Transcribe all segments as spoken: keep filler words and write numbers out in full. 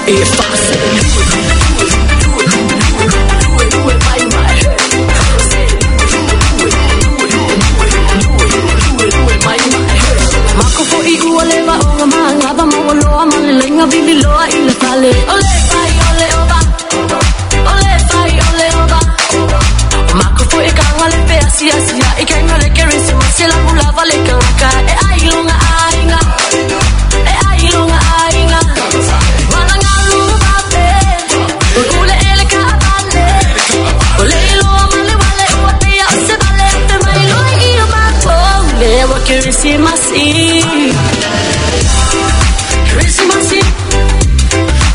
e fase. Do it, do it, my, my. Do it, do it, do it, do it, do it, my, my. Mako fo i ua le va o ma ngava mo loa ma le lenga vili loa i le fale. Ole fai ole oba, ole fai ole oba. Mako fo i kanga le pe asia asia i kanga le kerisi masela mulava le kanga e ai longa ainga e ai longa ainga. Wala ngalu babe, ule ele ka bale. Ole loa male wale ua te ya se bale te mai loi i o mako le wa kerisi masi. Christmas,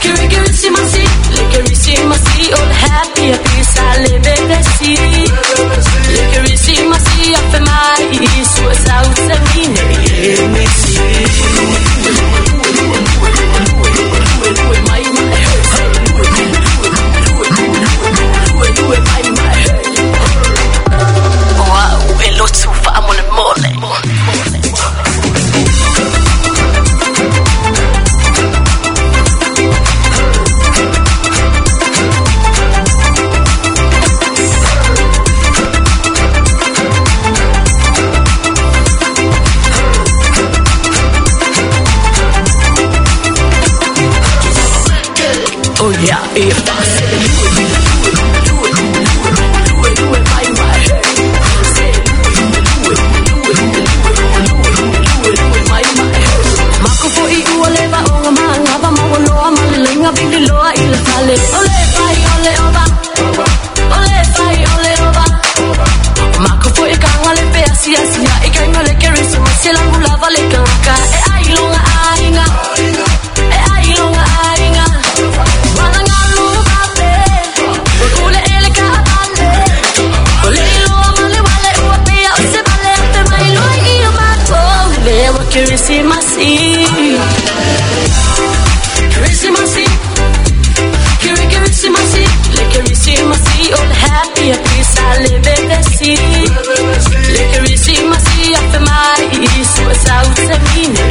Kiri Christmas, le Christmas, all happy happy sale bebesi. Le Christmas, afe mai isu sauce mine mesi. Wow, elotu fa amole mole. Oh yeah, if I say do it, do it, do it, do it, do it, my, my. Say do it, do it, do it, do it, do it, do it, my, my. Mako fo i ua le va o ma ngava mo loa ma le lenga vili loa i le fale. Ole fai ole oba, ole fai ole oba. Mako fo i kanga le pe asia asia i kanga le kerisi masela mulava le kanga e ai longa ainga e ai longa ainga. Christmas, Christmas, Christmas, le Christmas, all happy happy sale bebesi. Le Christmas, afe mai isu sauce mine.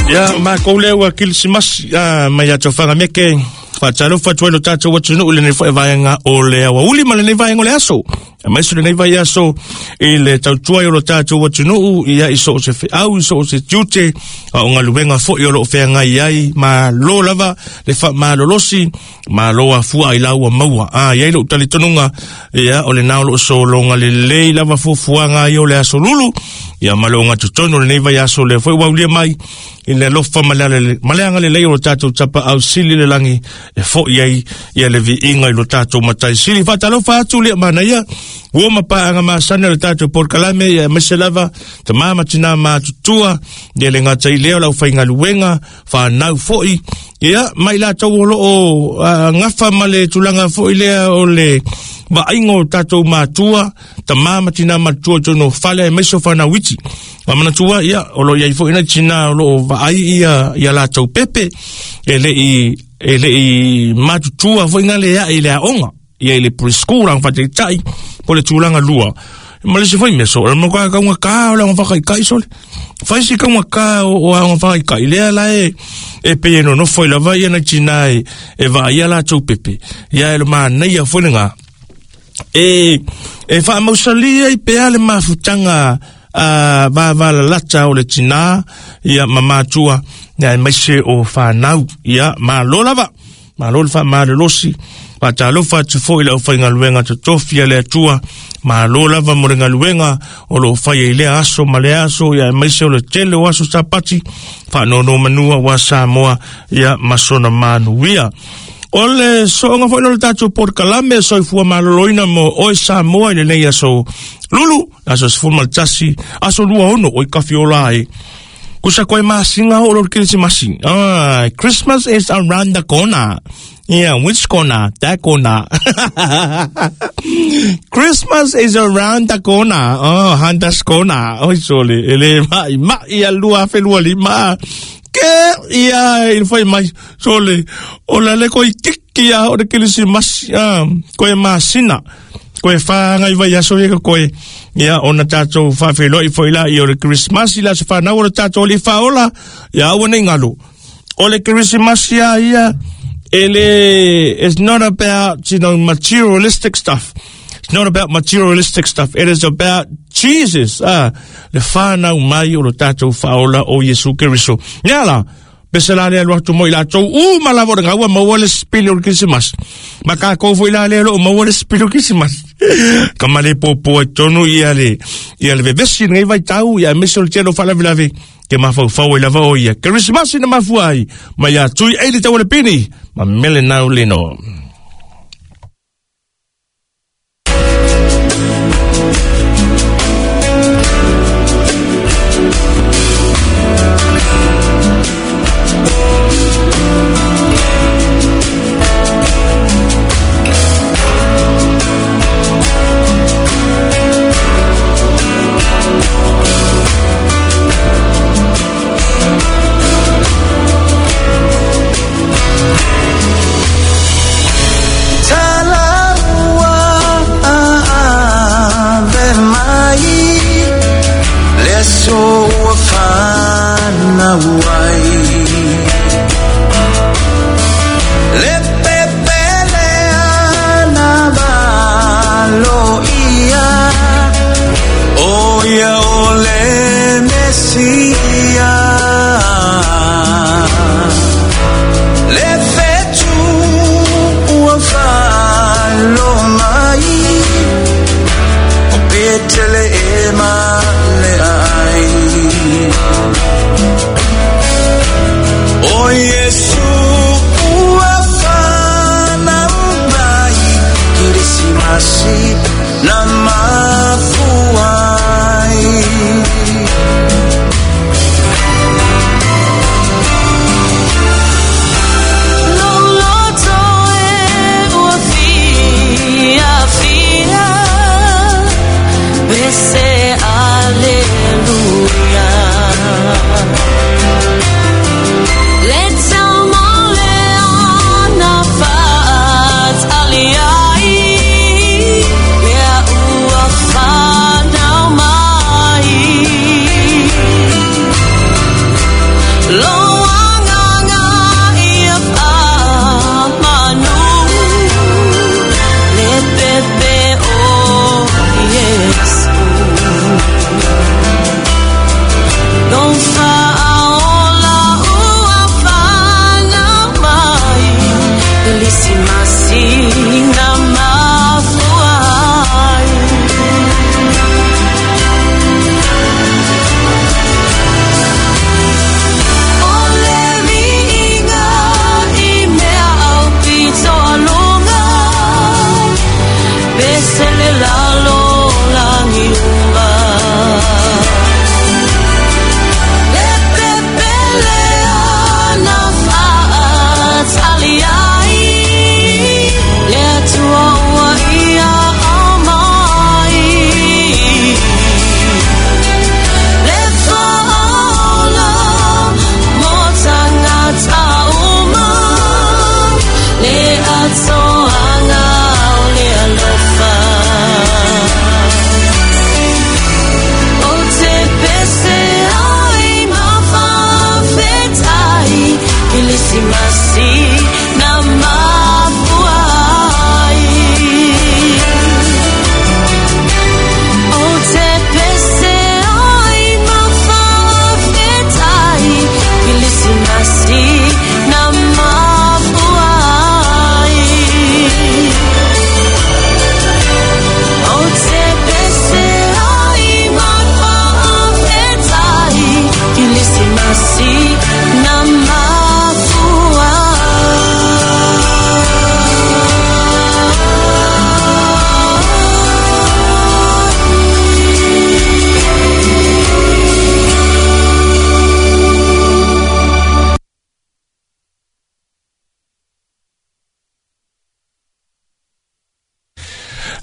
Ya ma koule wa Christmas mai atofanga meke. Fatalofa tuai lo tātou atunuu lenei foi vaega o le aoauli ma lenei vaega o le aso. Aemaise lenei vaiaso i le tautua o lo tātou atunuu ia i so o se feau, i so o se tiute, a o galuega foi o loo feagai ai, malo lava le faamalolosi, malo afua i laua maua. A iai lou talitonuga, ia o lenā o loo sologa lelei lava fuafuaga ai o le aso lulu, ia ma le ogatotonu o lenei vaiaso lea foi ua aulia mai i le alofa ma le agalelei o lo tātou tapaau sili le lagi e foi ai ia le viiga i lo tātou matai sili. Faatalofa atu le manaia ua mapaaga masani o le tātou polokalame ia aemaise lava tamā ma tinā matutua ia le gata i lea o lau faigaluega fanau foi ia mai latou o loo gafa ma le tulaga foi lea o le vaaiga o tatou matua tamā ma tinā matua tonu fale aemaise o fanau iti. Manatua ia o loo iai foi nai tinā o loo vaai ia ia latou pepe e lei e lei matutua foi na le ae i le aoga ia i le preschool ang fataitai po le tulaga lua. Ma le se foi mea so, le makoa kaunga kā o le aoga whakaikai sole. Whai si kaunga kā o aoga whakaikai. Lea la e, e pe e nonofo i lava ia na tina e, e vaa ia la tau pepe. Ia e lo māneia foi ngā. E, e whaamausalia i pea le mafutanga a vavalalata o le tina ia mamatua ia e maise o whanau ia malo lava. Malo le whaamalelosi. Faatalofa atu foi lau faigaluega totofi a le Atua. Malo lava mo le galuega o loo faia i lea aso ma le aso ia aemaise o le tele o aso Sapati faanonomanua ua Samoa ia ma sona manuia. O le sooga foi lo le tatou polokalame soifua maloloina mo oe Samoa i lenei aso lulu, aso sefulu ma le tasi, aso lua ono o i kafiola ai. Kusa koe masinga o lo Kerisimasi. Ah, Christmas is around the corner. Yeah, which corner? That corner. Christmas is around the corner. Oh, Handa's corner. Oi sole, ele mai mai alua felua lima. Ke ia il foi mai sole. O la le koi kiki ia o le Kerisimasi. Ah, koe masina. Koe whaanga i vai aso ia koe. Ia ona tātou whawheloi foi la i o le Christmas i la se whanau o le tātou li whaola. Ia aua nei ngalo. O le Christmas ia ia, ele, it's not about, you know, materialistic stuff. It's not about materialistic stuff. It is about Jesus. Ah, le whanau mai o le tātou whaola o Yesu Keriso. Nia la, pese la lea luatu moi la tau u malavo nga ua maua le spili o le Christmas. Ma ka kou foi la lea lo maua le spili o Christmas. Ka male popo e tonu ia le, ia le vevesi ngai vai tau ia mese o le telo whalavilave. Ke mawhau e lava o ia. Christmas ina mafua ai. Ma ia tui eili tau le pini. Ma mele nau leno.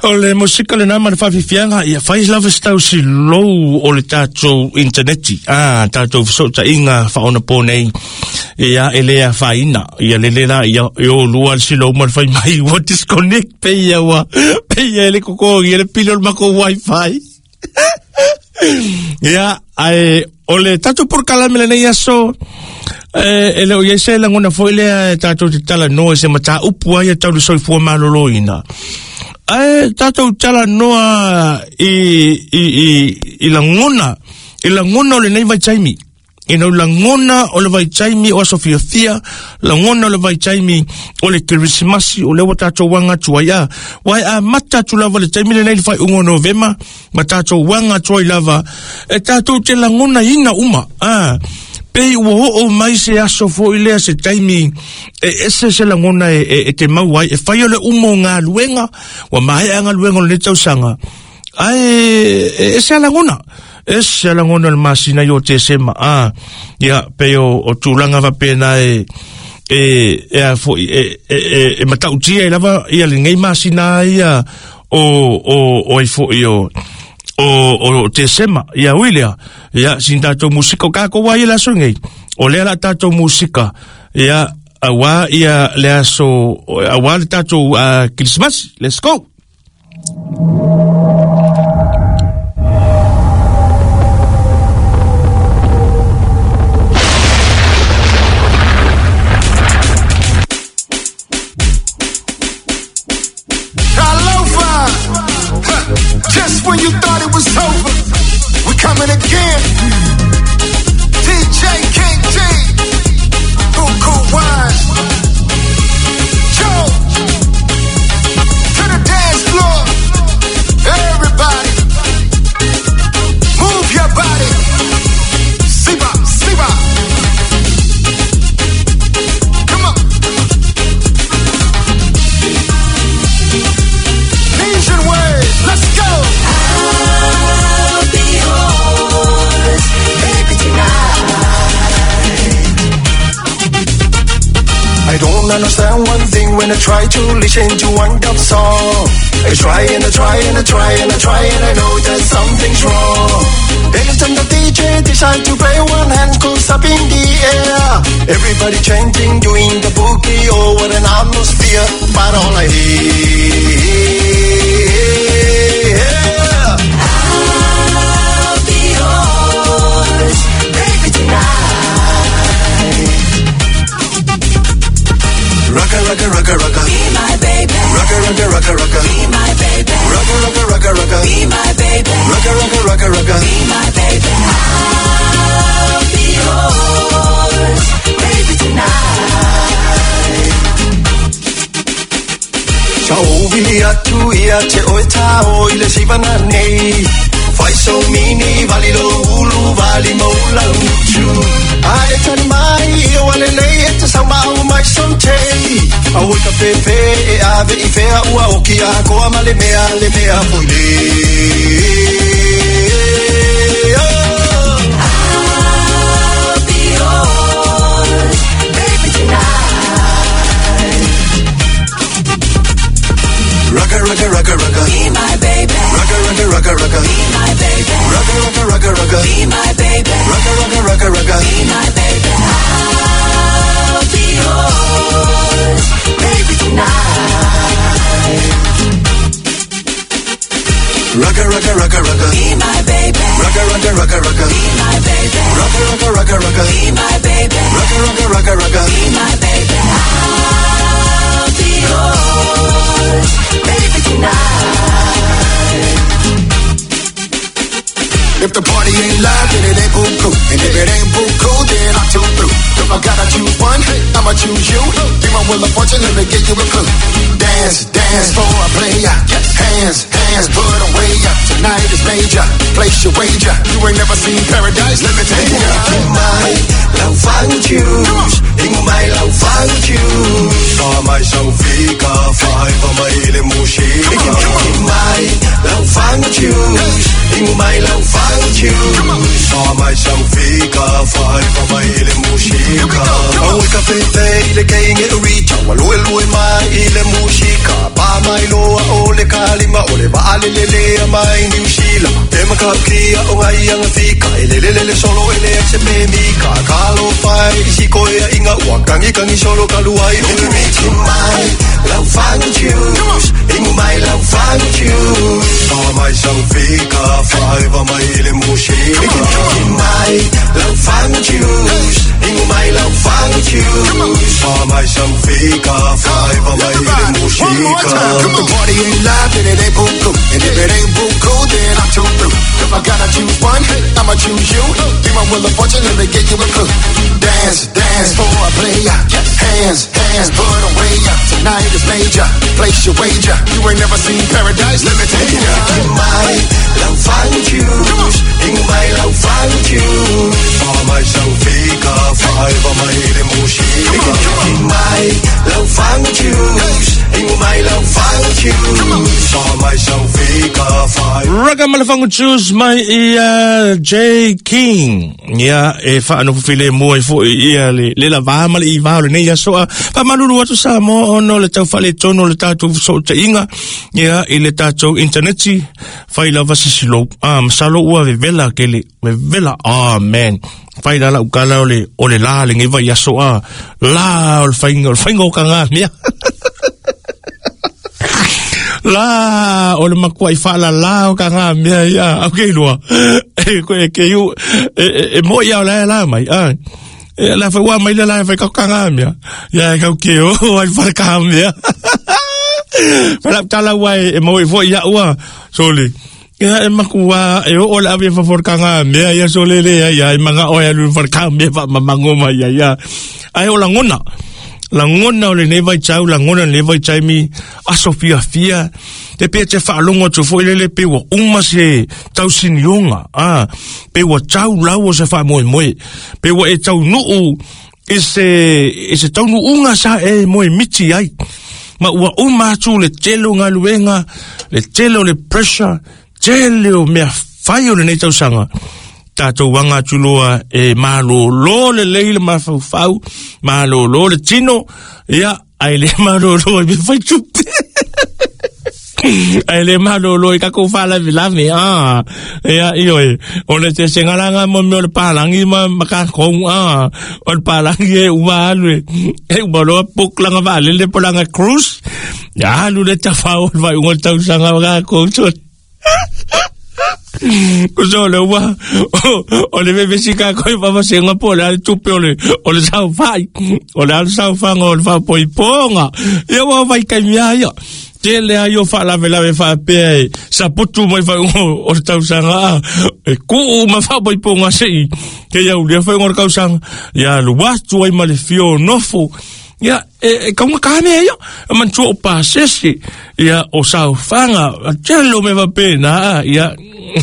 O le musika le nama le whawhiwhianga, ia whai lava stau si lou o le tātou interneti. Ah, tātou whasota inga whaona pō nei. Ia e le afaina ia lele la ia o lua le silo uma le fai mai ua disconnect pe ia ua pe ia le koko ia le pili o le mako wifi. Ia ai o le tatou polokalame lenei aso e le o iai se lagona foi lea e tatou te talanoa i se mataupu ai e tau le soifua malōlōina. Ae tatou talanoa i i i i lagona i lagona o lenei vaitaimi. Ina o lagona o le vaitaimi o aso fiafia, lagona o le vaitaimi o le Kerisimasi o lea ua tatou aga atu ai a. Ua e amata atu lava le taimi lenei le faaiuga o Novema, ma tatou aga atu ai lava, e tatou te lagonaina uma. A, pei ua oo mai se aso foi lea se taimi e ese se lagona e, e, e te mau ai, e fai o le uma o galuega, ua maea galuega o lenei tausaga. Ae e ese a lagona. Ese a lagona o le masina i o Tesema. A, ia, pei o, o tulaga faapena e e e a foi e e e, e matautia i lava ia lenei masina ia o o o ai foi o o o Tesema. Ia ui lea. Ia sin tatou musika o kākou ai le aso nei. O lea la tatou musika. Ia aua ia le aso aua le tatou uh, Christmas. Let's go. Just when you thought it was over, we coming again. D J King D, Buku Wine, Joe, to the dance floor. Everybody, move your body. Siba, Siba. Come on. Legion Wave, let's go. I'll be yours, baby, tonight. I don't understand one thing when I try to listen to one dub song. I try and I try and I try and I try and I know that something's wrong. Anytime the D J decides to play, one hand goes up in the air. Everybody chanting, doing the boogie, oh what an atmosphere. But all I hear, I'll be yours, baby, tonight. Rocka, rocka, rocka, rocka. Be my baby. Rocka, rocka, rocka, rocka. Be my baby. Rocka, rocka, rocka, rocka. Be my baby. Rocka, rocka, rocka, rocka. Be my baby. I'll be yours, baby, tonight. Tau atu ia te oe tao i le sivana nei. Fai so mini vali lo ulu vali mo la utu. Ai tani mai e wale lei e te sau mau mai son te. A ui ka pepe e ave i fea ua oki a koa ma le mea le mea foi le. I'll be yours, baby, tonight. Rocka, rocka, rocka, rocka. Be my baby. Rocka, rocka, rocka, rocka. Be my baby. Rocka, rocka, rocka, rocka. Be my baby. Rocka, rocka, rocka, rocka. Be my baby. I'll be yours, baby, tonight. Rocka, rocka, rocka, rocka. Be my baby. Rocka, rocka, rocka, rocka. Be my baby. Rocka, rocka, rocka, rocka. Be my baby. Rocka, rocka, rocka, rocka. Be my baby. I'll be yours, baby, tonight. If the party ain't live, then it ain't buku. And if it ain't buku, then I'm too through. If I gotta choose one, I'ma choose you. Be my wheel of fortune, let me give you a clue. Dance, dance for a player. Hands, hands, put away. Tonight is major, place your wager. You ain't never seen paradise, let me take you. Mai lau fang choose, ingo mai lau fang choose. Sa mai sau fika, five mai le mushika. Mai lau fang choose, ingo mai lau fang choose. Sa mai sau fika, five mai le mushika. Oi ka fefe le keinge uri chawa lue lue mai le mushika. Pa mai loa o le kalima o le vaale le le mai New Zealand. E Makakia o ngai anga fika ele le le solo ele se me mi ka kalo fai si ko ia inga wa kangi kangi solo kaluai o mi mai lau fang choose ingu mai lau fang choose pa mai sang fika fai va mai le mushika mai lau fang choose ingu mai lau fang choose pa mai sang fika fai va mai le mushika. The party ain't live then it ain't buku, and if it ain't buku then I'm too through. If I gotta choose one, I'ma choose you. Be my wheel of fortune, let me get you a clue. Dance, dance for a player. Hands, hands, put away. Tonight is major. Place your wager. You ain't never seen paradise. Let me take you. Mai lau fang choose, ingu mai lau fang choose. Pa mai sang fika, fai va mai le mushika. Mai lau fang choose, ingu mai lau fang choose. Pa mai sang fika, fai. Raka malafangu choose mai ia J King. Ia e fa no file mo e fo ia le le la va ma le i va le nei aso a fa malulu atu sa mo ono le tau fale tono le tatu so te inga ia i le tatu interneti fai lava sisilo ah masalo ua vela ke le vela ah man fai la la ukala o le o le la le ngai vai aso a la o le fainga o le fainga o kanga mea la o le makua i whaala la o ka ngā mea ia au kei lua e koe ke iu e, e, e mo ia o la la mai a e la whai wā mai le la whai kau ka ngā mea ia e kau ke o ai whare ka mea whala tala ua e mo i fo ia ua soli ia e makua e o o le awe whawhor ka ngā mea ia sole le ia ia e manga o ia lu whare ka mea wha mamango mai ia ia ai o langona langona o le nei vai tau langona le vai tau mi aso fia fia te pea te whaalongo atu fo ilele pe ua uma se tau sinionga ah pe ua tau lau o se wha moe moe pe ua e tau nuu e se e se tau nuunga sa e moe miti ai ma ua uma atu le tele o ngaluenga le tele o le pressure tele o mea whai o le nei tausanga tātou wanga atuloa e malolo le lei le mafaufau malolo le tino ia ai le malolo e fai tupe ai le malolo i kako whalavilave ah ia io e o le te sengalanga mo meo le palangi ma makakou ah o le palangi e uma alu e e uma loa puklanga vaalele polanga cruise ia alu le tawhao le vai unga tausanga makakou ko so le ua o le vevesi ka koi papa senga po le tupe o le o le sau fai o le sau fanga o le fa poiponga ia ua vai kai mea ia tele ai o faalavelave faapea e saputu mai faaiuga o le tausaga a e kuu ma faapoipoga se'i ke ia ulia faaiuga o le kausaga ia alu atu ai ma le fio nofo ia e kaunga ka mea ia e manatua o pasese ia o saofaga tele o mea faapena ia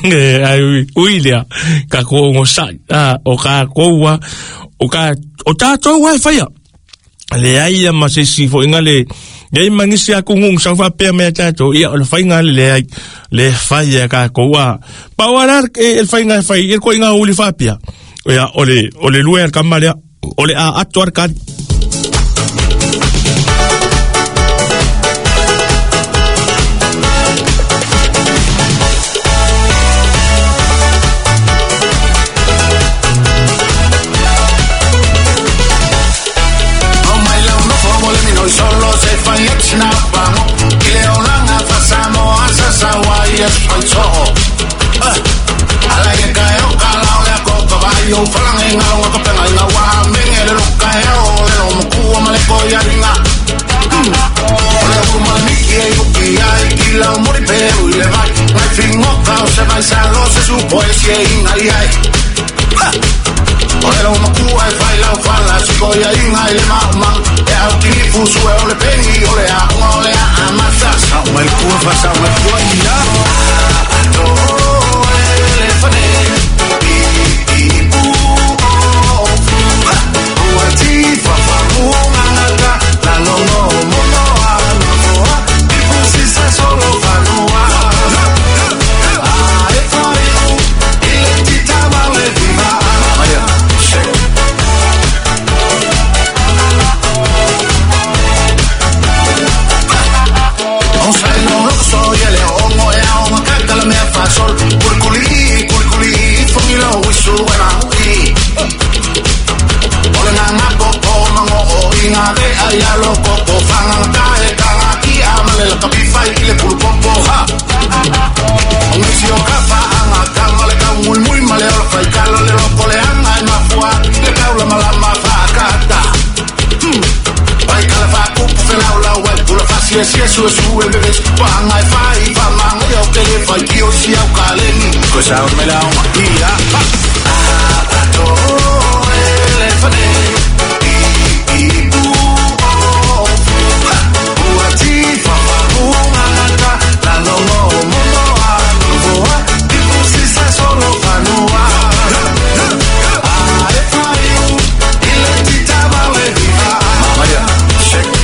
e ai ui lea kakou ogosa'i a o kakou a o ka o tatou a e faia leai ia ma se isi fo'iga le leai magisi akugugu sau faapea mea tatou ia o le faiga le leai le fai kakou a pau ala e le faiga e fai e le ko'iga uli faapea ia o le o le lua e le kama lea o le a atu a le kali. Soy el león. sia sia su su e bebe pa ngai fai pa manga yo ke le fai ki o si au kaleni ko sa me la o ia a to elefane i i u o u a ti fa fa u ngata la lo mo mo mo a no a ti si sa solo fanua a e fai u ile ti tava le viva mama shake.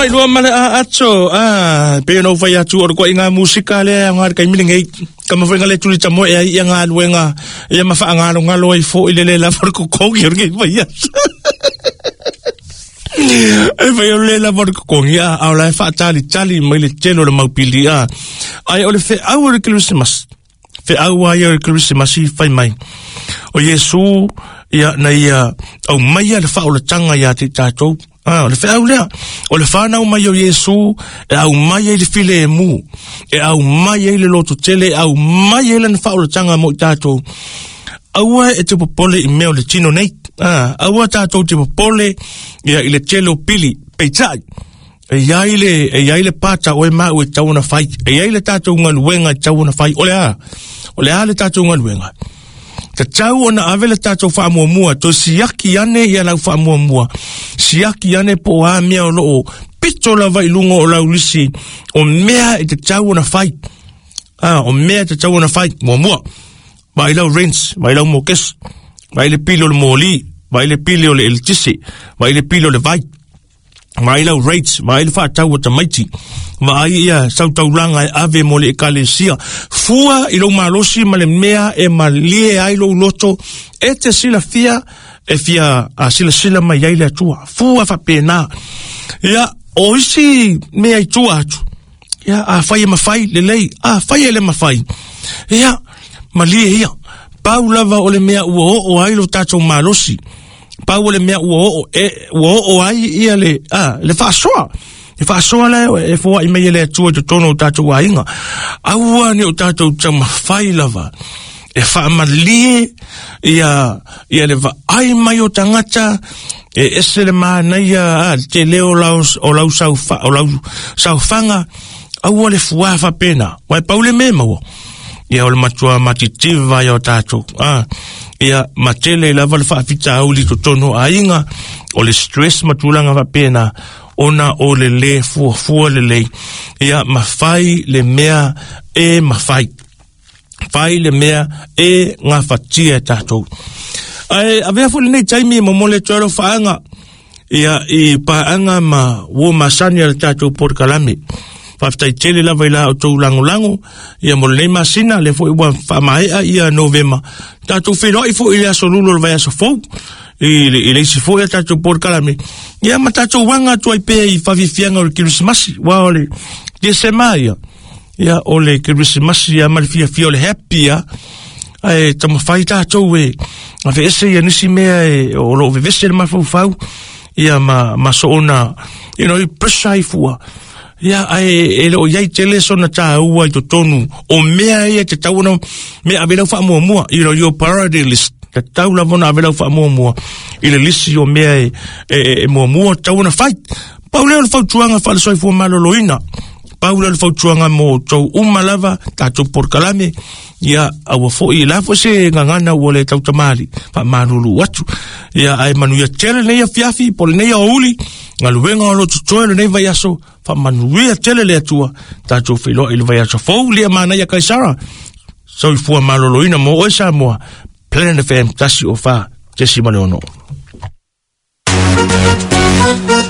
Lua male a ato a pe no fai atu o ko inga musika le nga kai mini ngai kama fai ngale tuli tamo e ia nga luenga ia ma fa nga nga lo i fo ile le la for ko ko ki orge fai e fai le la for ko ia a la fa tali tali mai le telo le mau pili a ai o le fe au le Christmas fe au ai o le Christmas i fai mai o Yesu ia na ia au mai le fa o le tanga ia te tatou. Ah, o le wheau lea. O le whanau mai o Yesu, e au mai e le file e mu. E au mai e le loto tele, e au mai e le whaolatanga mo i tātou. Aua e te popole i mea o le tino nei. Ah, aua tātou te popole ia i le tele o pili, peitai. E iai le, e iai le pāta o e mau e tau ona whai. E iai le tātou ngaluenga e tau ona whai. O le a, o le a le tātou ngaluenga. Te tau ona ave le tātou whaamuamua, to siaki ane ia lau whaamuamua. Siaki ane po a mea o loo, pito lava i lunga o lau lisi, o mea e te tau ona whai. Ah, o mea e te tau ona whai, muamua. Vai lau rents, vai lau mokes, vai le pili o le moli, vai le pili o le eltisi, vai le pili o le vai. Vai lau rates, vai le whaatau o tamaiti. Vai ia sautaulanga e ave mo le ekalesia. Fua i lou malosi ma le mea e malie ai lou loto. E te sila fia, e fia a sila sila mai ai le atua. Fua whapena. Ia, o isi mea i tua atu. Ia, a whai e mawhai, le lei. A whai e le mawhai. Ia, malie ia. Pau lava o le mea ua o o ai lo tātou malosi. Pau o le mea ua o e ua o ai ia le a le faasoa le faasoa le e foai mai le atua i totonu o tātou aiga aua ni o tātou taumafai lava e faamalie ia ia le vaai mai o tagata e ese le manaia a te leo lau o lau saufa o lau saufaga aua le fuā faapena uae pau le mea maua ia o le matua matitiva ia o tātou a ia matele lava le faafitauli totonu aiga o le stress ma tulaga faapena ona o le lē fuafua lelei ia mafai le mea e mafai fai le mea e gafatia e tātou ae avea foi lenei taimi e momole atu ai lau faaga ia i paaga ma uo masani a le tātou porokalame. Faafetai tele lava i la o tou lagolago ia mo lenei masina le foi ua faamaea ia Novema tatou feiloai foi i le aso lulu o le vaiaso fou i le, i le isi foi a tatou porokalame ia ma tatou uaga atu ai pea i faafiafiaga o le Kerisimasi ua o le Tesema ia ia o le Kerisimasi ia ma le fiafia o le happy ia ae taumafai tatou e aveese ia nisi mea e o loo vevese le mafaufau ia ma, ma soona you know, i pressure ai fua. Ia ae e leo iai tele sona tāua i totonu o mea ia te tau ona mea ave lau faamuamua, you know, your priority list. Tatau lava ona ave lau faamuamua i le lisi o mea e, e, e muamua tatau ona fai. Pau lea o le fautuaga faale-soifua maloloina. Pau lea o le fautuaga mo outou uma lava tatou polokalame. Ia aua foi la foi se gagana ua le tautamali faamalulu atu. Ia ae manuia tele lenei afiafi po o lenei aoauli galuega o lo o totoe lenei vaiaso. Faamanuia tele le Atua tatou feiloai i le vaiaso fou. Lia manaia Kaisara, soifua maloloina mo oe Samoa. Planet F M tasi o fa tesi ma le ono.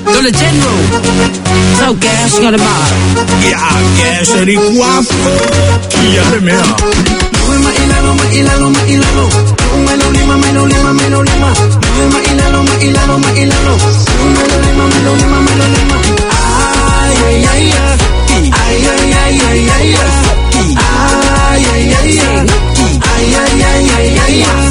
Dole General, so gas got a bar. Ya gas ni guapo. Ya le mea. Ma ilalo ma ilalo ma ilalo. Ma lo lima ma lo lima ma lo lima. Ma ilalo ma ilalo ma ilalo. Ma lo lima ma lo lima ma lo lima. Ay ay ay ay ay ay ay ay ay ay ay ay ay ay ay ay ay.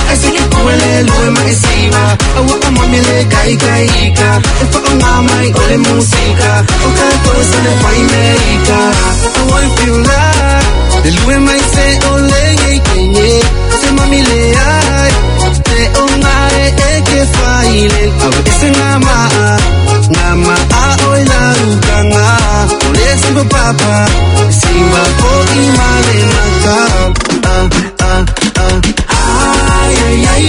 Ay sige kuwele loe maisiva awa amamile kai kai ka e fa ngamai ole musika o ka kosa le fai America. I want feel like le lue mai se ole nge kenye se mamile ai te o ngae e ke faile awe ese ngama ngama a oi la ukanga ole simba papa simba po imale maka ah ah ah. Ay ay ay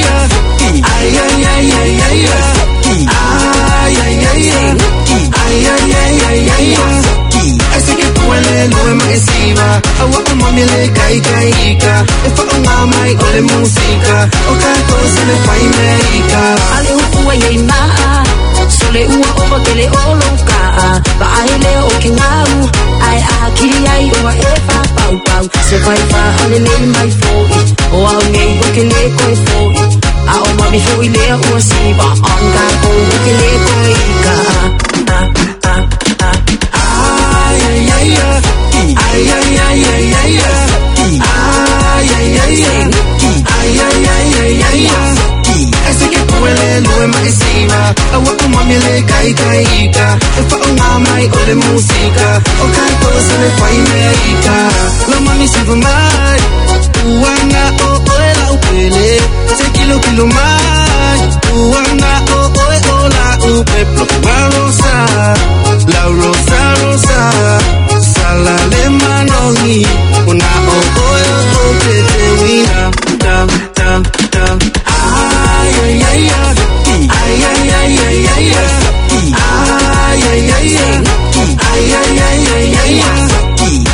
ay ay ay ay ay ay ay ay ay ay ay ay ay ay sige kuwele loe maisiva awa amamile kai kai ka e fa ngamai ole musika o ka kosa le fai America. Ale upu ai ma sole ua ova kele olo ka ba ai le o ke ngau ai a kiri ai o e fa pau pau se fai fa ale le mai foi o au nei o ke le ko foi a o mami foi le o si ba on ka ko o ke le ko i ka ah ah ah. Ay ay ay ay ay ay ay ay ay ay ay ay ay ay ay ay ay sige kuwele loe maisiva awa amamile kai kai ka e fa ngamai ole musika o ka kosa le fai America. Lo mami siva mai uanga o oe la upele se kilo kilo mai uanga o oe o la upe la rosa la rosa rosa sala le manongi una o oe o te te wina ta ta ta. Ay ay ay ay ay ay ay ay ay ay ay ay ay ay ay ay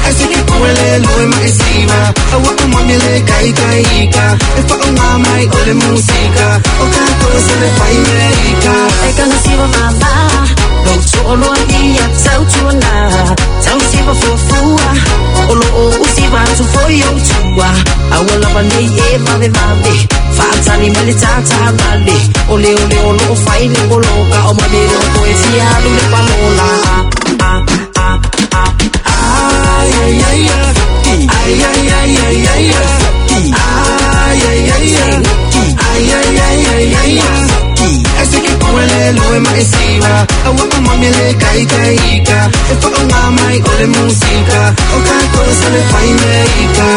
ay sige kuwele loe maisiva awa amamile kai kai ka e fa ngamai ole musika o ka kosa le fai America. E ka siva mama lo tolo ia tau tuana tau siva fofua o lo o usiva tu foi o tua awa lava nei e mave mave faatali male tata male ole ole o lo fai le poloka o mame o ko e fia lu le palola ah ah ah. Ay ay ay ay ay ay ay ay ay ay ay ay ay ay ay ay ay sige kuwele loe maisiva awa amamile kai kai ka e fa ngamai ole musika o ka kosa le fai America.